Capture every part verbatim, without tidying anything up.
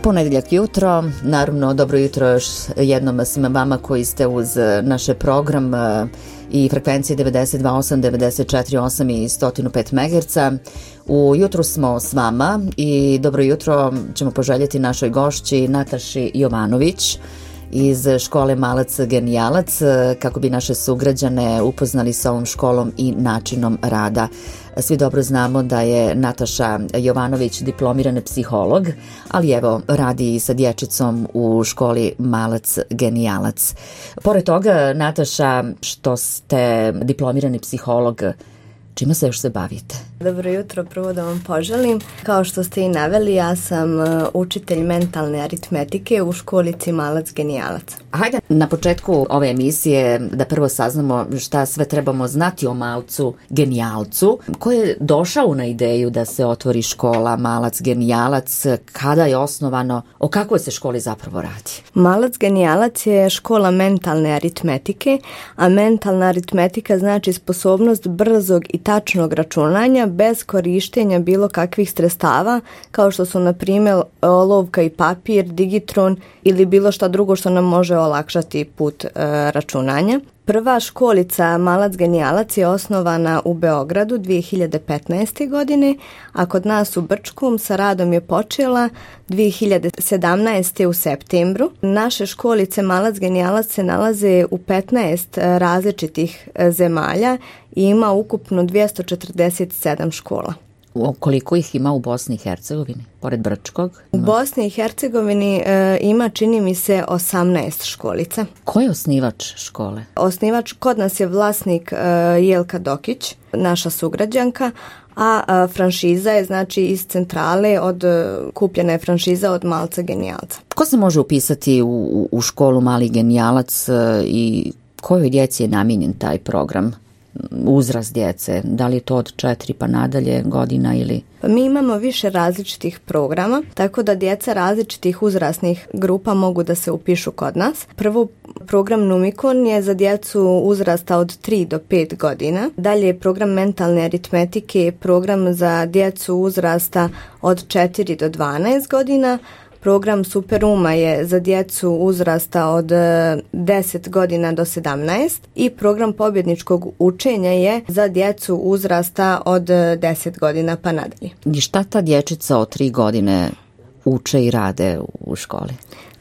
Ponedjeljak jutro, naravno dobro jutro još jednom svima vama koji ste uz naš program i frekvencije devedeset dva osam, devedeset četiri osam i sto pet megaherca. U jutru smo s vama i dobro jutro ćemo poželjeti našoj gošći Nataši Jovanović iz škole Malac Genijalac, kako bi naše sugrađane upoznali sa ovom školom i načinom rada. Svi dobro znamo da je Nataša Jovanović diplomirani psiholog, ali evo radi i sa dječicom u školi Malac Genijalac. Pored toga, Nataša, što ste diplomirani psiholog, čime se još se bavite? Dobro jutro, prvo da vam poželim. Kao što ste i naveli, ja sam učitelj mentalne aritmetike u školici Malac Genijalac. Hajde na početku ove emisije da prvo saznamo šta sve trebamo znati o Malcu Genijalcu. Ko je došao na ideju da se otvori škola Malac Genijalac, kada je osnovano, o kakvoj se školi zapravo radi? Malac Genijalac je škola mentalne aritmetike, a mentalna aritmetika znači sposobnost brzog i tačnog računanja bez korištenja bilo kakvih sredstava, kao što su na primjer olovka i papir, digitron ili bilo šta drugo što nam može olakšati put e, računanja. Prva školica Malac Genijalac je osnovana u Beogradu dvije hiljade petnaeste. godine, a kod nas u Brčkom sa radom je počela dvije hiljade sedamnaeste. u septembru. Naše školice Malac Genijalac se nalaze u petnaest različitih zemalja i ima ukupno dvjesto četrdeset sedam škola. Koliko ih ima u Bosni i Hercegovini, pored Brčkog? U Bosni i Hercegovini e, ima, čini mi se, osamnaest školica. Ko je osnivač škole? Osnivač kod nas je vlasnik e, Jelka Dokić, naša sugrađanka, a, a franšiza je znači iz centrale, od kupljena je franšiza od Malca Genijalca. Ko se može upisati u, u školu Mali Genijalac i kojoj djeci je namijenjen taj program? Uzrast djece, da li je to od četiri pa nadalje godina ili? Mi imamo više različitih programa, tako da djeca različitih uzrasnih grupa mogu da se upišu kod nas. Prvo, program Numikon je za djecu uzrasta od tri do pet godina. Dalje je program mentalne aritmetike, program za djecu uzrasta od četiri do dvanaest godina. Program Superuma je za djecu uzrasta od deset godina do sedamnaest i program pobjedničkog učenja je za djecu uzrasta od deset godina pa nadalje. I šta ta dječica od tri godine uče i rade u školi?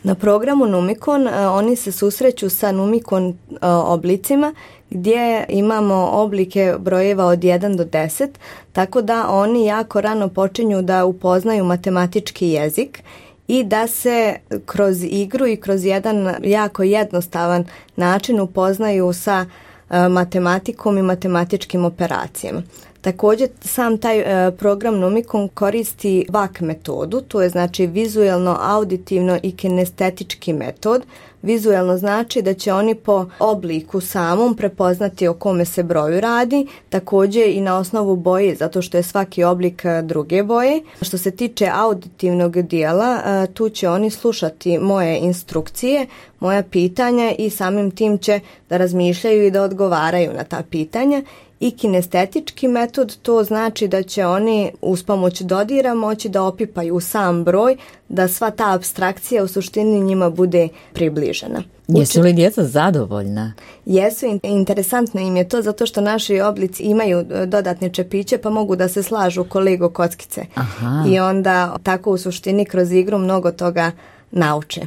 Na programu Numikon oni se susreću sa Numikon oblicima gdje imamo oblike brojeva od jedan do deset, tako da oni jako rano počinju da upoznaju matematički jezik i da se kroz igru i kroz jedan jako jednostavan način upoznaju sa e, matematikom i matematičkim operacijama. Također sam taj e, program Numikon koristi V A K metodu, to je znači vizuelno, auditivno i kinestetički metod. Vizuelno znači da će oni po obliku samom prepoznati o kome se broju radi, također i na osnovu boje, zato što je svaki oblik druge boje. Što se tiče auditivnog dijela, tu će oni slušati moje instrukcije, moja pitanja i samim tim će da razmišljaju i da odgovaraju na ta pitanja. I kinestetički metod, to znači da će oni uz pomoć dodira moći da opipaju sam broj, da sva ta apstrakcija u suštini njima bude približena. Jesu li djeca zadovoljna? Jesu, interesantno im je to zato što naši oblici imaju dodatne čepiće pa mogu da se slažu ko Lego kockice. Aha. I onda tako u suštini kroz igru mnogo toga nauče.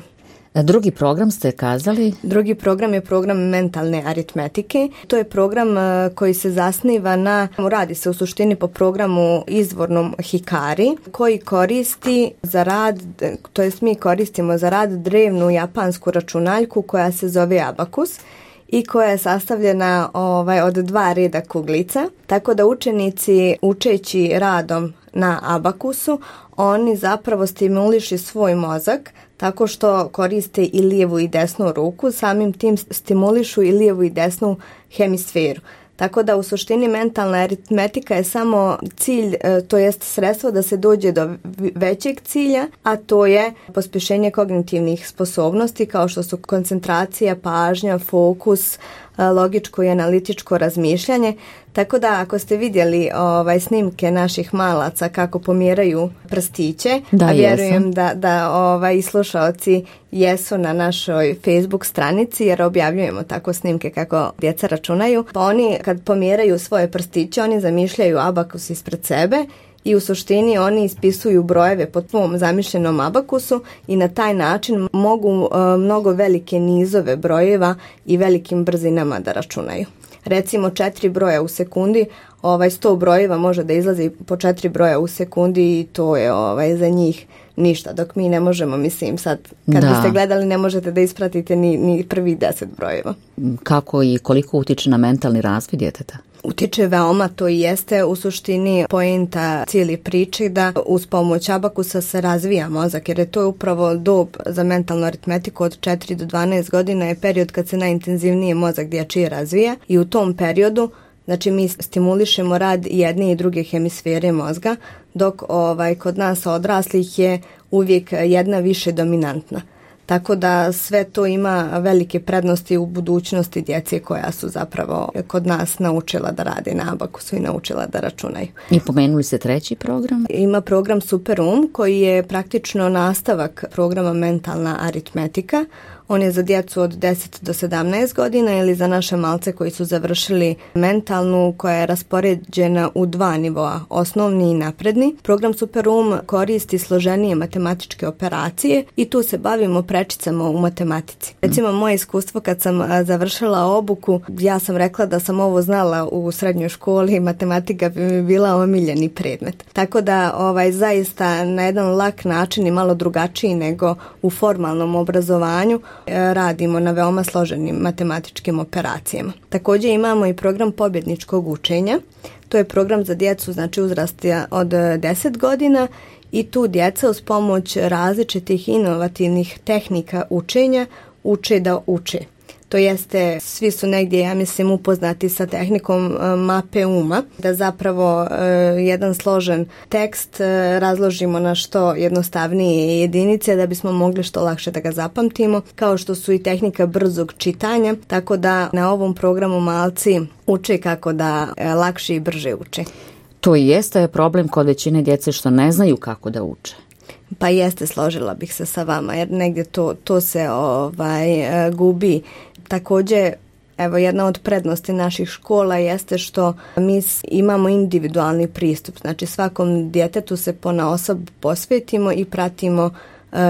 Drugi program ste kazali? Drugi program je program mentalne aritmetike. To je program koji se zasniva na, radi se u suštini po programu izvornom Hikari, koji koristi za rad, to jest mi koristimo za rad drevnu japansku računaljku koja se zove abakus i koja je sastavljena ovaj, od dva reda kuglica, tako da učenici učeći radom na abakusu, oni zapravo stimulišu svoj mozak tako što koriste i lijevu i desnu ruku, samim tim stimulišu i lijevu i desnu hemisferu. Tako da u suštini mentalna aritmetika je samo cilj, to jest sredstvo da se dođe do većeg cilja, a to je pospješenje kognitivnih sposobnosti kao što su koncentracija, pažnja, fokus, logičko i analitičko razmišljanje. Tako da ako ste vidjeli ovaj, snimke naših malaca kako pomjeraju prstiće, da, a vjerujem da, da ovaj, i slušaoci jesu na našoj Facebook stranici jer objavljujemo tako snimke kako djeca računaju, pa oni kad pomjeraju svoje prstiće, oni zamišljaju abakus ispred sebe i u suštini oni ispisuju brojeve po svom zamišljenom abakusu i na taj način mogu uh, mnogo velike nizove brojeva i velikim brzinama da računaju. Recimo četiri broja u sekundi, ovaj sto brojeva može da izlazi po četiri broja u sekundi i to je ovaj za njih ništa, dok mi ne možemo, mislim sad, kad da. biste gledali ne možete da ispratite ni, ni prvi deset brojeva. Kako i koliko utiče na mentalni razvoj djeteta? Utiče veoma, to i jeste u suštini poenta cijeli priče da uz pomoć abakusa se razvija mozak, jer je to upravo dob za mentalnu aritmetiku od četiri do dvanaest godina je period kad se najintenzivnije mozak dječji razvija i u tom periodu znači mi stimulišemo rad jedne i druge hemisfere mozga, dok ovaj, kod nas odraslih je uvijek jedna više dominantna. Tako da sve to ima velike prednosti u budućnosti djece koja su zapravo kod nas naučila da rade na abakusu i naučila da računaju. I pomenuli se treći program? Ima program Superum koji je praktično nastavak programa mentalna aritmetika. On je za djecu od deset do sedamnaest godina ili za naše malce koji su završili mentalnu koja je raspoređena u dva nivoa, osnovni i napredni. Program Superum koristi složenije matematičke operacije i tu se bavimo prečicama u matematici. Recimo moje iskustvo kad sam završila obuku, ja sam rekla da sam ovo znala u srednjoj školi, matematika bi mi bila omiljeni predmet. Tako da ovaj zaista na jedan lak način i malo drugačiji nego u formalnom obrazovanju radimo na veoma složenim matematičkim operacijama. Također imamo i program pobjedničkog učenja. To je program za djecu, znači uzrasta od deset godina i tu djeca uz pomoć različitih inovativnih tehnika učenja uče da uče. To jeste, svi su negdje, ja mislim, upoznati sa tehnikom mape uma, da zapravo e, jedan složen tekst e, razložimo na što jednostavnije jedinice da bismo mogli što lakše da ga zapamtimo, kao što su i tehnika brzog čitanja, tako da na ovom programu malci uče kako da e, lakše i brže uče. To i jeste problem kod većine djece što ne znaju kako da uče. Pa jeste, složila bih se sa vama, jer negdje to, to se ovaj, gubi. Također, evo, jedna od prednosti naših škola jeste što mi imamo individualni pristup. Znači svakom djetetu se ponaosob posvetimo i pratimo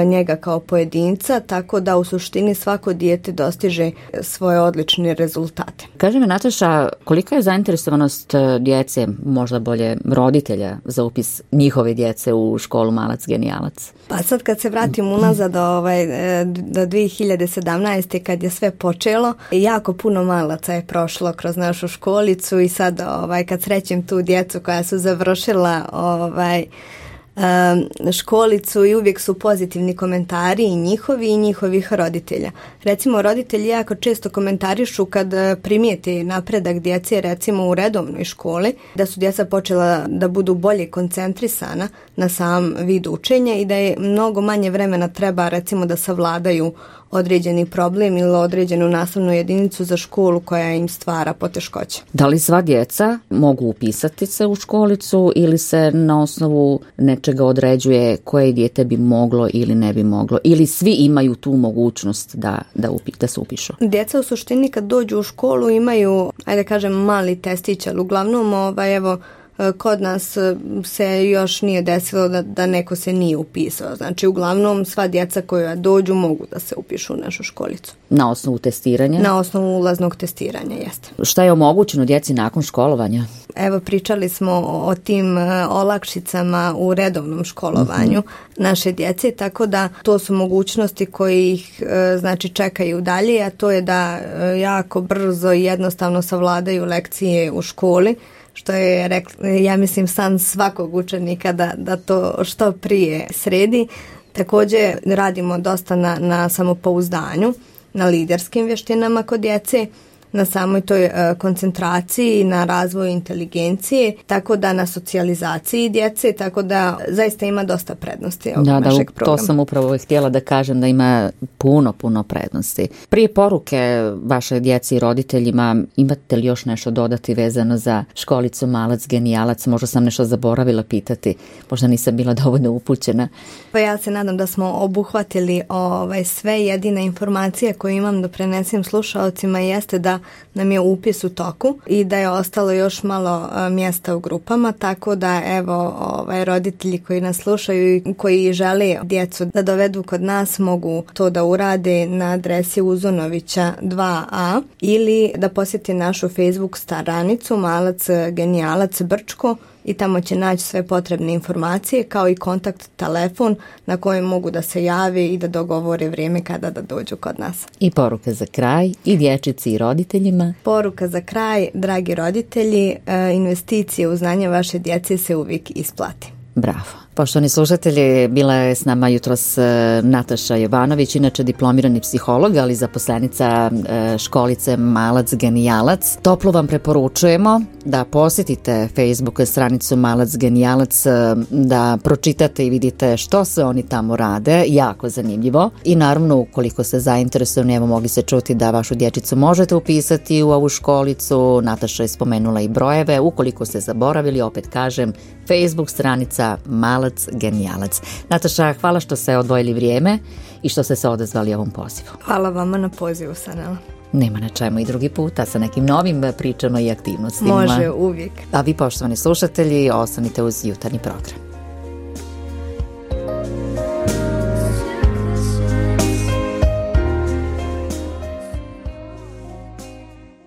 njega kao pojedinca, tako da u suštini svako dijete dostiže svoje odlične rezultate. Kaži mi, Nataša, kolika je zainteresovanost djece, možda bolje roditelja, za upis njihove djece u školu Malac genijalac? Pa sad kad se vratim unazad do, ovaj, do dvije hiljade sedamnaeste. kad je sve počelo, jako puno malaca je prošlo kroz našu školicu i sad ovaj, kad srećem tu djecu koja su završila ovaj, školicu i uvijek su pozitivni komentari i njihovi i njihovih roditelja. Recimo, roditelji jako često komentarišu kad primijete napredak djece, recimo u redovnoj školi, da su djeca počela da budu bolje koncentrisana na sam vid učenja i da je mnogo manje vremena treba, recimo, da savladaju određeni problem ili određenu nastavnu jedinicu za školu koja im stvara poteškoće. Da li sva djeca mogu upisati se u školicu ili se na osnovu nečega određuje koje dijete bi moglo ili ne bi moglo? Ili svi imaju tu mogućnost da, da, upi, da se upišu? Djeca u suštini kad dođu u školu imaju, ajde kažem, mali testić, ali uglavnom ovaj, evo, kod nas se još nije desilo da, da neko se nije upisao. Znači, uglavnom sva djeca koja dođu mogu da se upišu u našu školicu. Na osnovu testiranja? Na osnovu ulaznog testiranja, jeste. Šta je omogućeno djeci nakon školovanja? Evo, pričali smo o tim olakšicama u redovnom školovanju uh-huh. naše djece, tako da to su mogućnosti koje ih znači čekaju dalje, a to je da jako brzo i jednostavno savladaju lekcije u školi, što je, ja mislim, san svakog učenika da, da to što prije sredi. Također radimo dosta na, na samopouzdanju, na liderskim vještinama kod djece, na samoj toj uh, koncentraciji, na razvoju inteligencije, tako da na socijalizaciji djece, tako da zaista ima dosta prednosti ovog da, našeg da, programa. To sam upravo htjela da kažem, da ima puno, puno prednosti. Prije poruke vaše djeci i roditeljima, imate li još nešto dodati vezano za školicu Malac Genijalac? Možda sam nešto zaboravila pitati, možda nisam bila dovoljno upućena. Pa ja se nadam da smo obuhvatili ovaj, sve. Jedina informacija koju imam da prenesem slušalcima jeste da nam je upis u toku i da je ostalo još malo a, mjesta u grupama, tako da evo ovaj, roditelji koji nas slušaju i koji žele djecu da dovedu kod nas mogu to da urade na adresi Uzunovića dva a ili da posjeti našu Facebook stranicu Malac Genijalac Brčko i tamo će naći sve potrebne informacije kao i kontakt telefon na kojem mogu da se jave i da dogovore vrijeme kada da dođu kod nas. I poruka za kraj i dječici i roditeljima. Poruka za kraj, dragi roditelji, investicije u znanje vaše djece se uvijek isplati. Bravo. Poštovani slušatelji, bila je s nama jutros Nataša Jovanović, inače diplomirani psiholog, ali zaposlenica školice Malac Genijalac. Toplo vam preporučujemo da posjetite Facebook stranicu Malac Genijalac, da pročitate i vidite što se oni tamo rade, jako zanimljivo. I naravno, ukoliko ste zainteresovani, evo mogli se čuti da vašu dječicu možete upisati u ovu školicu. Nataša je spomenula i brojeve. Ukoliko ste zaboravili, opet kažem, Facebook stranica Malac Genijalac. Nataša, hvala što ste odvojili vrijeme i što ste se odazvali ovom pozivu. Hvala vama na pozivu, Sanela. Nema na čemu i drugi puta sa nekim novim pričama i aktivnostima. Može, uvijek. A vi, poštovani slušatelji, ostanite uz jutarnji program.